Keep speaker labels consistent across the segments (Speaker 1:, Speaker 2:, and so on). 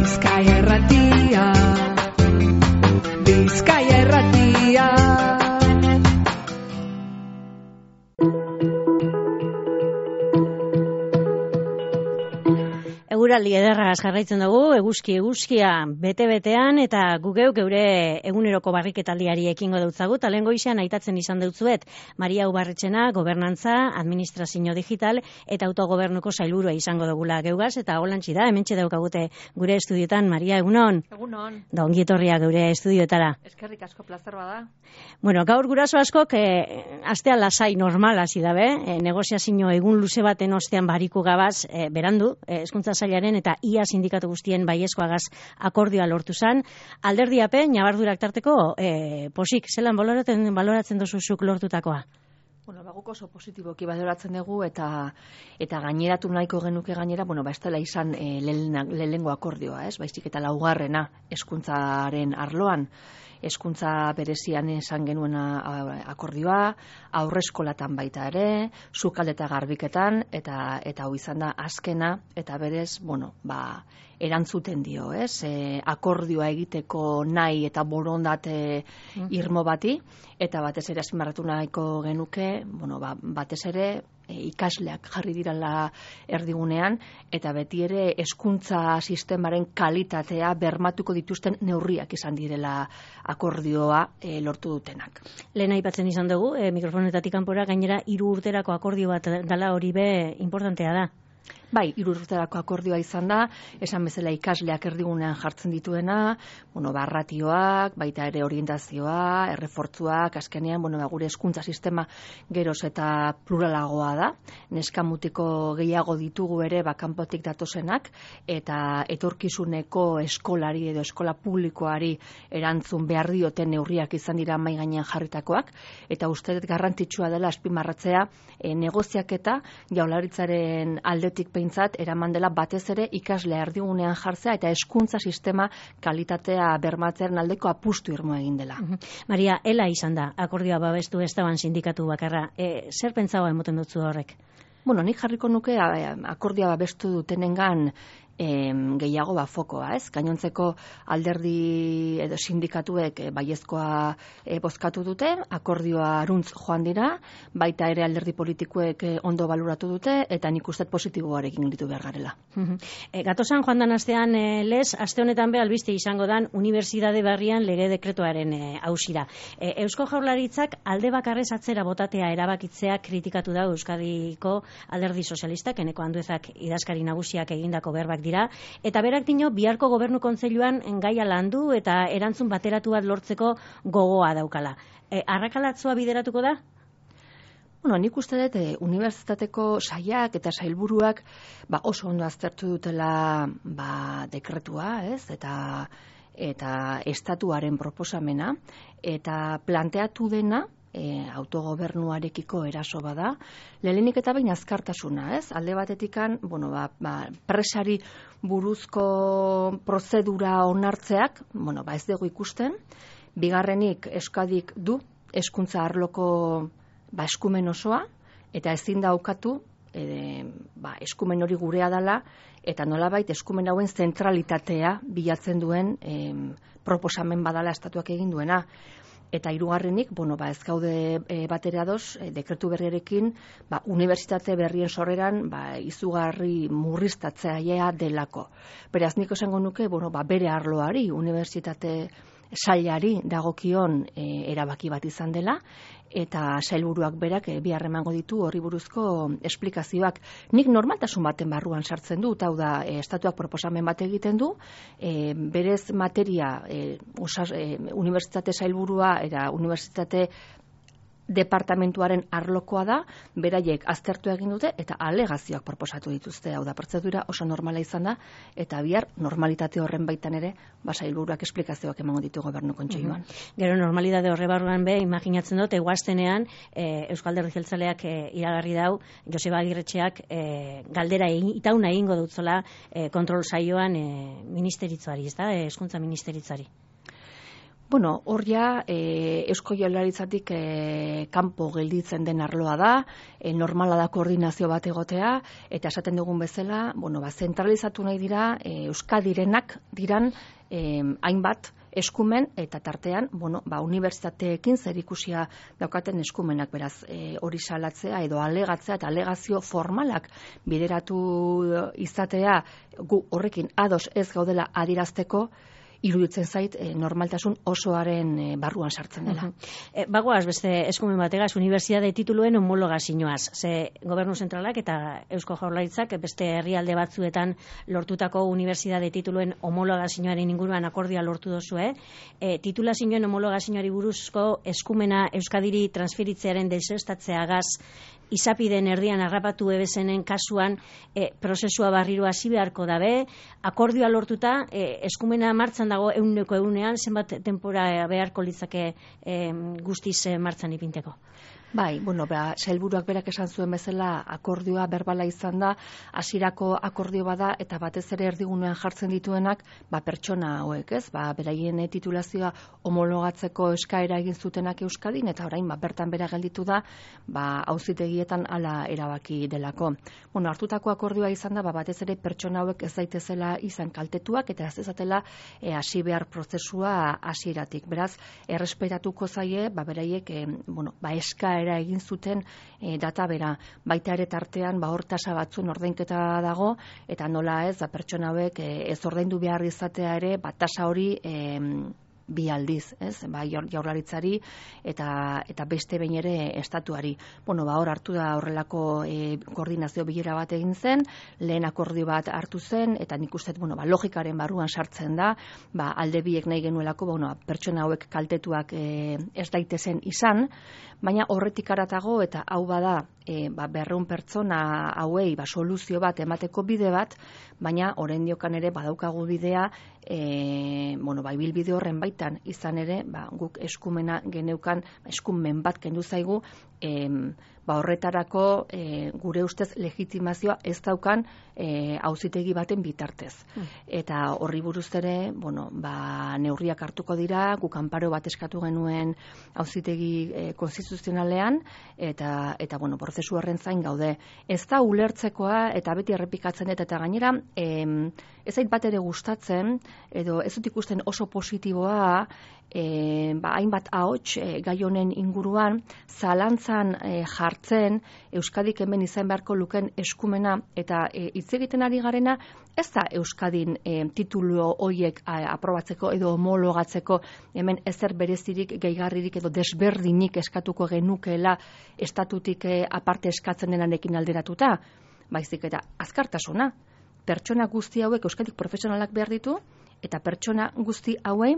Speaker 1: Bizkaia Irratia, Bizkaia Irratia.
Speaker 2: Eguraldi ederragaz jarraitzen dugu, eguzkia bete-betean, eta gugeuk geure eguneroko barriketaldiari ekingo dutzagu, talen goizean aitatzen izan dutzuet, Maria Ubarretxena, gobernantza, administrazio digital, eta autogobernuko sailburua izango dugula geugaz, eta holantzi da, hementxe daukagute gure estudioetan. Maria, egunon?
Speaker 3: Egunon.
Speaker 2: Da ongietorria geure estudioetara.
Speaker 3: Eskerrik asko, plazer bada.
Speaker 2: Bueno, gaur guraso askok, astea lasai normal hasi dabe, negoziazio egun luze baten ostean bariku gabaz, berandu, hezkuntza sailaren eta ia sindikatu guztien baiezkoagaz akordioa lortu zan. Alderdiapen, nabardurak tarteko, posik, zelan baloratzen duzuzuk lortutakoa?
Speaker 3: Bueno, guk oso positiboki baloratzen dugu eta gaineratu nahiko genuke gainera, ez dela izan lehenengo akordioa, ez? Baizik eta laugarrena hezkuntzaren arloan. Hezkuntza berezian esan genuen akordioa, aurreskolatan baita ere, sukalde eta garbiketan, eta hau izan da azkena, eta berez, erantzuten dio, ez? Akordioa egiteko nahi eta borondate irmo bati, eta batez ere azpimarratu nahiko genuke, batez ere, ikasleak jarri dirala erdigunean, eta beti ere hezkuntza sistemaren kalitatea bermatuko dituzten neurriak izan direla akordioa lortu dutenak.
Speaker 2: Lehen aipatzen izan dugu, mikrofonetatik kanpora gainera 3 urterako akordio bat dala, hori be importantea da.
Speaker 3: Bai, 3 urterako akordioa izan da, esan bezala ikasleak erdigunean jartzen dituena, ratioak, baita ere orientazioa, errefortzuak, azkenean, gure hezkuntza sistema geroz eta pluralagoa da, neskamutiko gehiago ditugu ere kanpotik datozenak, eta etorkizuneko eskolari edo eskola publikoari erantzun behar dioten neurriak izan dira mahai gainean jarritakoak, eta uste dut garrantzitsua dela azpimarratzea negoziaketa Jaurlaritzaren aldetik behintzat eraman dela batez ere ikaslea erdigunean jartzea eta hezkuntza sistema kalitatea bermatzearen aldeko apustu irmo egin dela.
Speaker 2: Maria, ela izan da, akordioa babestu ez daban sindikatu bakarra. Zer pentsaua emoten dutzu horrek?
Speaker 3: Nik jarriko nuke akordioa babestu dutenengan gehiago fokoa, ez? Gainontzeko alderdi edo sindikatuek baiezkoa bozkatu dute, akordioa aruntz joan dira, baita ere alderdi politikoek ondo baloratu dute, eta nik uste positiboarekin ditu behar garela.
Speaker 2: Gatozan joan dan astean, aste honetan be albiste izango dan Unibertsitate Berrian lege dekretuaren hausira. Eusko Jaurlaritzak alde bakarrez atzera botatea erabakitzea kritikatu da Euskadiko alderdi sozialistak, Eneko Anduezak idazkari nagusiak egindako berbak dira, eta berak dino biharko gobernu kontseiluan gaia landu eta erantzun bateratu bat lortzeko gogoa daukala. Arrakalatzua bideratuko da?
Speaker 3: Nik uste dut unibertsitateko sailak eta sailburuak oso ondo aztertu dutela dekretua, ez? Eta estatuaren proposamena, eta planteatu dena autogobernuarekiko eraso bada, lehenik eta behin azkartasuna, ez? Alde batetikan, presari buruzko prozedura onartzeak, ez dugu ikusten, bigarrenik Euskadik du hezkuntza arloko eskumen osoa, eta ezin da ukatu eskumen hori gurea dela, eta nolabait eskumen hauen zentralitatea bilatzen duen proposamen badala estatuak egin duena. Eta hirugarrenik, ez gaude batere ados, dekretu berriarekin, unibertsitate berrien sorreran, izugarri murriztatzailea delako. Beraz, nik esango nuke, bere arloari, unibertsitate sailari dagokion erabaki bat izan dela, eta sailburuak berak bihar emango ditu horri buruzko esplikazioak. Nik normaltasun baten barruan sartzen dut, hau da, estatuak proposamen bat egiten du, berez materia unibertsitate sailburua eta unibertsitate departamentuaren arlokoa da, beraiek aztertu egin dute eta alegazioak proposatu dituzte, hau da, prozedura oso normala izan da, eta bihar normalitate horren baitan ere, sailburuak esplikazioak emango ditu gobernu kontseiluan.
Speaker 2: Gero normalitate horre barruan be, imaginatzen dut, eguaztenean, Euskal Alderdi Jeltzaleak iragarri dau, Joseba Agirretxeak galdera itauna egingo dutzola kontrol saioan ministeritzuari, ez da, hezkuntza ministeritzari.
Speaker 3: Bueno, hor ja, Eusko Jaurlaritzatik kanpo gelditzen den arloa da, normala da koordinazio bat egotea, eta esaten dugun bezala, zentralizatu nahi dira, Euskadirenak diran hainbat eskumen, eta tartean, unibertsitateekin zerikusia daukaten eskumenak, beraz, hori salatzea edo alegatzea eta alegazio formalak bideratu izatea, gu horrekin ados ez gaudela adierazteko, iruditzen zait normaltasun osoaren barruan sartzen dela.
Speaker 2: Bagoaz beste eskumen bategaz, unibertsitate tituluen homologazioaz. Ze Gobernu Zentralak eta Eusko Jaurlaritzak beste herrialde batzuetan lortutako unibertsitate tituluen homologazioaren inguruan akordioa lortu duzue. Titulazioen homologazioari buruzko eskumena Euskadiri transferitzearen desestatzeagaz izapiden erdian harrapatu ebesenen kasuan prozesua barriro hasi beharko dabe, akordioa lortuta eskumena martzan dago 100%, zenbat denbora beharko litzake guztiz martzan ipinteko?
Speaker 3: Bai, sailburuak berak esan zuen bezala akordioa berbala izan da, hasierako akordio bada eta batez ere erdigunean jartzen dituenak, pertsona hauek, ez? Beraien titulazioa homologatzeko eskaera egin zutenak Euskadin eta orain bertan bera gelditu da, auzitegietan hala erabaki delako. Hartutako akordioa izan da, batez ere pertsona hauek ez daitezela izan kaltetuak eta ez dezatela hasi behar prozesua hasieratik. Beraz, errespetatuko zaie, beraiek eskaera egin zuten data bera. Baita ere tartean hor tasa batzuen ordainketa dago eta nola ez pertsona hauek ez ordaindu behar izatea ere tasa hori bi aldiz, ez? Jaurlaritzari eta beste behin ere estatuari. Hor hartu da horrelako koordinazio bilera bat egin zen, lehen akordio bat hartu zen eta nik uste logikaren barruan sartzen da, alde biek nahi genuelako pertsona hauek kaltetuak ez daitezen izan, baina horretik aratago eta hau bada 200 pertsona hauei soluzio bat emateko bide bat, baina orendiokan ere badaukagu bidea ibilbide horren baitan izan ere guk eskumena geneukan, eskumen bat kendu zaigu, horretarako gure ustez legitimazioa ez daukan auzitegi baten bitartez. Eta horri buruz ere, neurriak hartuko dira, guk anparo bat eskatu genuen auzitegi konstituzionalean, eta prozesu horren zain gaude. Ez da ulertzekoa, eta beti errepikatzen eta gainera, ez zait bat ere gustatzen, edo ez dut ikusten oso positiboa, hainbat ahots gai honen inguruan zalantzan jartzen Euskadik hemen izan beharko luken eskumena eta hitz egiten ari garena ez da Euskadin titulu horiek aprobatzeko edo homologatzeko hemen ezer berezirik, gehigarririk edo desberdinik eskatuko genukeela estatutik aparte eskatzen denarekin alderatuta, baizik eta azkartasuna. Pertsona guzti hauek Euskadik profesionalak behar ditu eta pertsona guzti hauei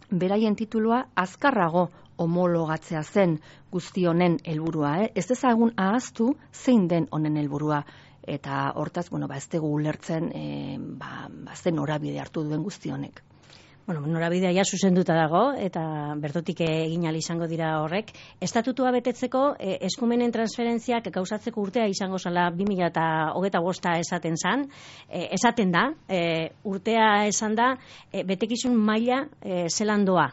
Speaker 3: beraien titulua azkarrago homologatzea zen guzti honen helburua. Ez dezagun ahaztu zein den honen helburua. Eta hortaz, ez dugu ulertzen zen norabide hartu duen guzti honek.
Speaker 2: Norabidea ja zuzenduta dago, eta bertotik egin ahal izango dira horrek. Estatutua betetzeko eskumenen transferentziak gauzatzeko urtea izango zala 2025 esaten da, urtea esan da, betekizun maila zelan doa.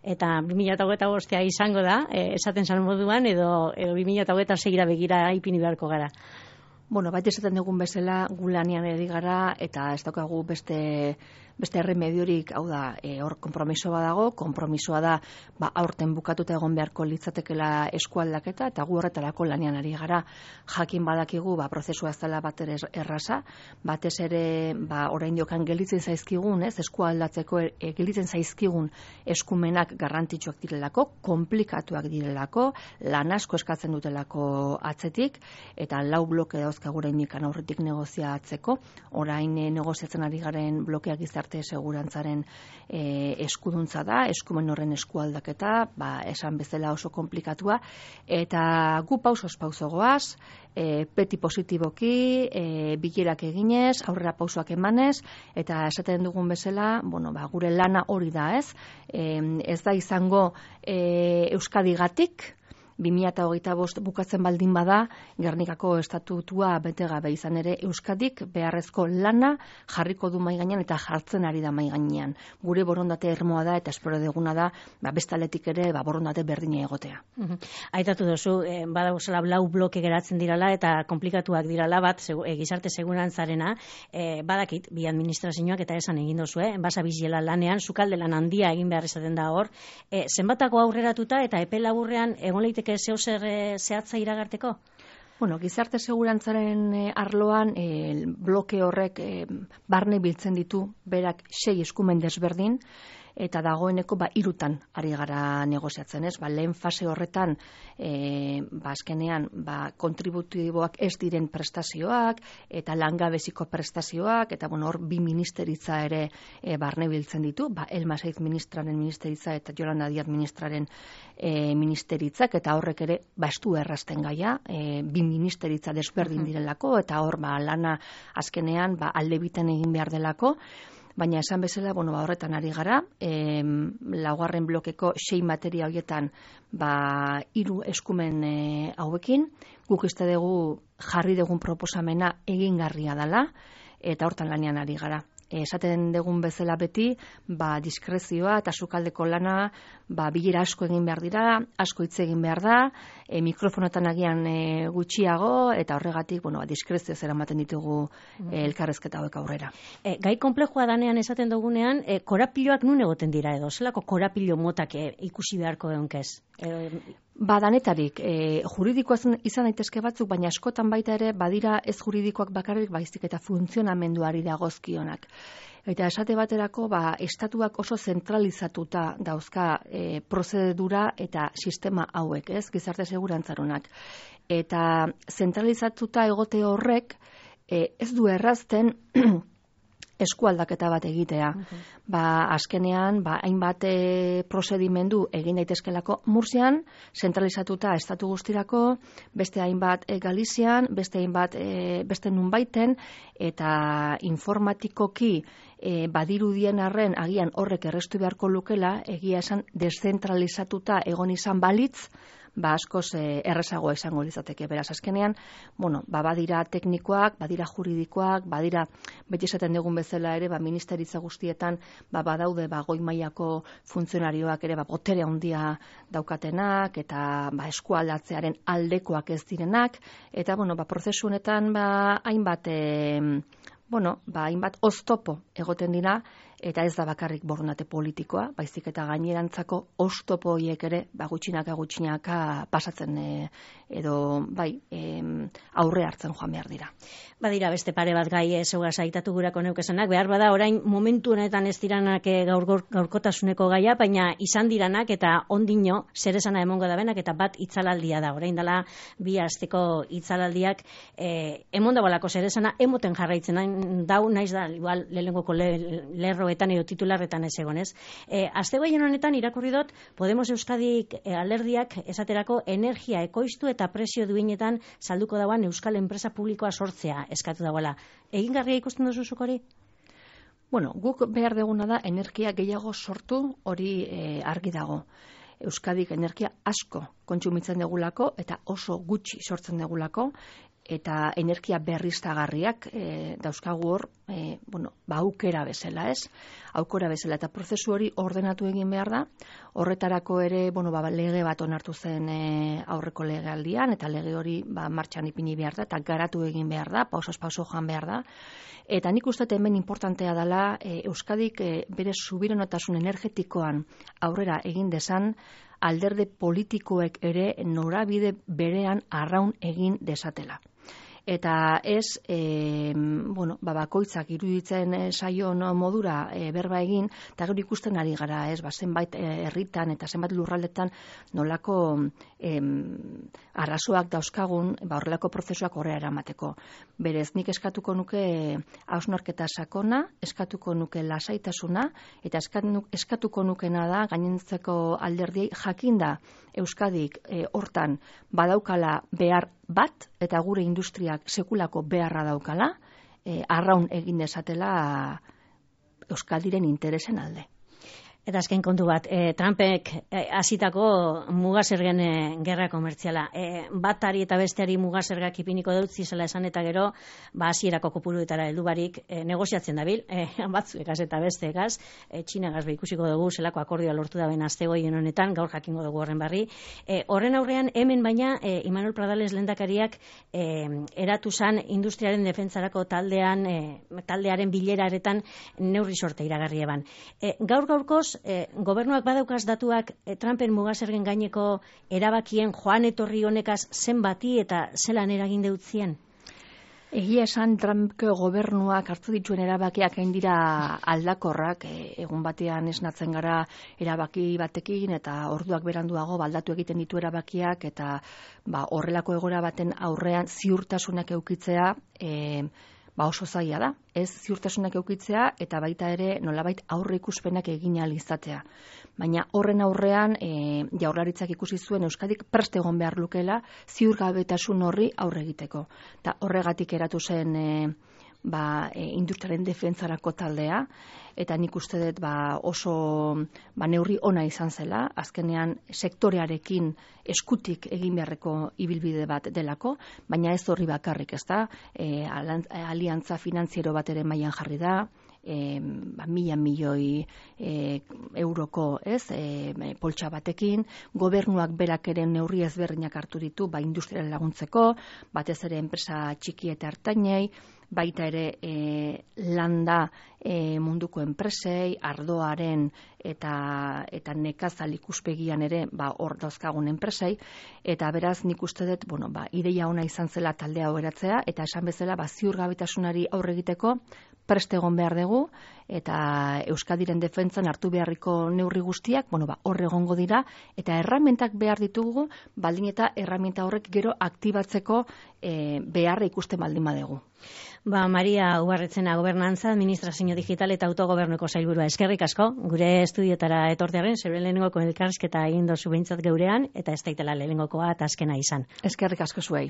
Speaker 2: Eta 2025 izango da, esaten zan moduan, edo 2026 begira ipini beharko gara.
Speaker 3: Baita esaten dugun bezala gu lanean eri gara eta ez daukagu beste erremediorik, hau da, hor konpromisoa dago, konpromisoa da aurten bukatuta egon beharko litzatekela eskualdaketa eta gu horretarako lanean ari gara. Jakin badakigu prozesua ez dela bat ere erraza, batez ere oraindiokan gelditzen zaizkigun, eskualdatzeko gelditzen zaizkigun eskumenak garrantzitsuak direlako, konplikatuak direlako, lan asko eskatzen dutelako atzetik eta 4 bloke dauzkagu oraindik aurretik negoziatzeko. Orain negoziatzen ari garen blokeak gizarte segurantzaren eskuduntza da, eskumen horren eskualdaketa, esan bezala oso konplikatua, eta gu pausoz pauso goaz, beti positiboki, bilerak eginez, aurrera pausoak emanez, eta esaten dugun bezala, gure lana hori da, ez da izango Euskadigatik, 2025 bukatzen baldin bada, Gernikako estatutua bete gabe izan ere Euskadik beharrezko lana jarriko du mahai gainean eta jartzen ari da mahai gainean. Gure borondate irmoa da eta espero deguna da, bestaletik ere borondate berdina egotea.
Speaker 2: Aitatu duzu, badauzela lau bloke geratzen dirala eta komplikatuak dirala bat, gizarte segurantzarena, badakit, bi administrazioak eta esan egin duzu, basa biziela lanean, sukalde lan handia egin behar izaten da hor, zenbatako aurreratuta eta epe laburrean egon leiteke zehozer zehatza iragarteko?
Speaker 3: Bueno, gizarte segurantzaren arloan bloke horrek barne biltzen ditu, berak 6 eskumen desberdin, eta dagoeneko 3 ari gara negoziatzen, ez? Lehen fase horretan azkenean kontributiboak ez diren prestazioak eta langabeziko prestazioak eta hor 2 ministeritza ere barne biltzen ditu, Elma Saiz ministraren ministeritza eta Yolanda Díaz ministraren ministeritzak, eta horrek ere estu errazten gaia, 2 ministeritza desberdin direlako eta hor lana azkenean alde biten egin behar delako. Baina esan bezala, horretan ari gara, laugarren blokeko 6 materia horietan 3 eskumen hauekin, guk uste dugu jarri dugun proposamena egingarria dela, eta hortan lanean ari gara. Esaten dugun bezala beti, diskrezioa eta sukaldeko lana, bilera asko egin behar dira, asko hitz egin behar da, mikrofonotan agian gutxiago, eta horregatik, diskrezio zera ematen ditugu elkarrezketa hauek aurrera.
Speaker 2: Gai konplexua danean esaten dugunean, korapiloak nun egoten dira edo, zelako korapilo motak ikusi beharko egonkez?
Speaker 3: Danetarik, juridikoa izan daitezke batzuk, baina askotan baita ere badira ez juridikoak bakarrik baizik eta funtzionamenduari dagozkionak. Eta esate baterako, estatuak oso zentralizatuta dauzka prozedura eta sistema hauek, ez, gizarte segurantzaronak. Eta zentralizatuta egote horrek ez du errazten eskualdaketa bat egitea. Azkenean, hainbat prozedimendu egin daitezkelako Murzian, zentralizatuta estatu guztirako, beste hainbat Galizian, beste hainbat beste nunbaiten, eta informatikoki badirudien arren agian horrek errestu beharko lukela, egia esan deszentralizatuta egon izan balitz, askoz errezagoa izango litzateke. Beraz, azkenean, badira teknikoak, badira juridikoak, badira, beti esaten dugun bezala ere, ministeritza guztietan, badaude, goi mailako funtzionarioak ere, botere handia daukatenak, eta eskualdatzearen aldekoak ez direnak, eta, prozesu honetan, hainbat oztopo egoten dira, eta ez da bakarrik borondate politikoa, baizik eta gainerantzako oztopo horiek ere gutxinaka pasatzen edo aurre hartzen joan behar dira.
Speaker 2: Badira beste pare bat gai zeugaz aitatu gurako neukesenak, behar bada orain momentu honetan ez diranak gaurkotasuneko gaia, baina izan diranak eta ondino zer esana emongo da benak, eta bat itzalaldia da, orain dela 2 asteko itzalaldiak emon dagoelako zer esana emoten jarraitzen dau, naiz da igual lehenengoko lerroetan edo titularretan ez egonez. Aste gehien honetan irakurri dut Podemos Euskadik alderdiak esaterako energia ekoiztu eta prezio duinetan salduko dauan euskal enpresa publikoa sortzea eskatu dagoela. Egingarria ikusten duzu zuk hori?
Speaker 3: Guk behar deguna da energia gehiago sortu, hori argi dago. Euskadik energia asko kontsumitzen degulako eta oso gutxi sortzen degulako, eta energia berriztagarriak dauzkagu hor, aukera bezala, ez? Aukera bezala, eta prozesu hori ordenatu egin behar da. Horretarako ere, lege bat onartu zen aurreko legealdian, eta lege hori martxan ipini behar da, eta garatu egin behar da, pausoz pauso joan behar da. Eta nik uste hemen importantea dela Euskadik bere subiranotasun energetikoan aurrera egin dezan, alderdi politikoek ere norabide berean arraun egin desatela. Eta ez, bakoitzak iruditzen saion modura berba egin, eta gero ikusten ari gara, ez, zenbait herritan eta zenbait lurraldetan nolako arazoak dauzkagun, horrelako prozesuak horrela eramateko. Berez, nik eskatuko nuke hausnarketa sakona, eskatuko nuke lasaitasuna, eta eskatuko nukena da, gainentzeko alderdiei jakinda Euskadik hortan badaukala behar bat, eta gure industriak sekulako beharra daukala, arraun egin dezatela Euskaldiren interesen alde.
Speaker 2: Eta azken kontu bat, Trumpek hasitako mugasergen gerra komertziala. Batari eta besteari mugasergak ipiniko dut zizela esan eta gero, hasierako kopuruetara heldu barik negoziatzen dabil, batzuekaz eta besteekaz, Txinagaz ikusiko dugu zelako akordioa lortu da ben astegoien honetan, gaur jakingo dugu horren barri. Horren aurrean hemen baina Imanol Pradales lehendakariak eratu zan industriaren defentsarako taldearen bileraretan neurri sorte iragarri eban. Gaur-gaurkoz, gobernuak badaukaz datuak Trumpen mugasergen gaineko erabakien joan etorri honekaz zenbati eta zelan eragin deutzien?
Speaker 3: Egia esan Trumpko gobernuak hartu dituen erabakiak hain dira aldakorrak, egun batean esnatzen gara erabaki batekin eta orduak beranduago baldatu egiten ditu erabakiak eta horrelako egoera baten aurrean ziurtasunak edukitzea oso zaila da. Ez ziurtasunak edukitzea eta baita ere nolabait aurre ikuspenak egin ahal izatea. Baina horren aurrean Jaurlaritzak ikusi zuen Euskadik prest egon behar lukeela ziurgabetasun horri aurre egiteko. Eta horregatik eratu zen industriaren defentsarako taldea, eta nik uste dut oso neurri ona izan zela, azkenean sektorearekin eskutik egin beharreko ibilbide bat delako, baina ez horri bakarrik, ez da, aliantza finantziero bat ere mailan jarri da, 1.000 milioi euroko poltsa batekin, gobernuak berak ere neurri ezberdinak hartu ditu, industriaren laguntzeko, batez ere enpresa txiki eta ertainei, baita ere landa munduko enpresei, ardoaren eta nekazal ikuspegian ere hor dauzkagun enpresei, eta beraz nik uste dut, ideia ona izan zela taldea eratzea, eta esan bezala ziurgabetasunari aurre egiteko prest egon behar dugu, eta Euskadiren defentsan hartu beharriko neurri guztiak, hor egongo dira, eta erramintak behar ditugu, baldin eta erraminta horrek gero aktibatzeko beharra ikusten baldin badugu.
Speaker 2: Maria Ubarretzena, Gobernantza, Administrazio Digital eta Autogobernuko sailburua. Eskerrik asko, gure estudiotara etortearen, zure lehenengoko elkarrizketa egin dozu behintzat geurean, eta ez daitela lehenengokoa eta azkena izan.
Speaker 3: Eskerrik asko zuei.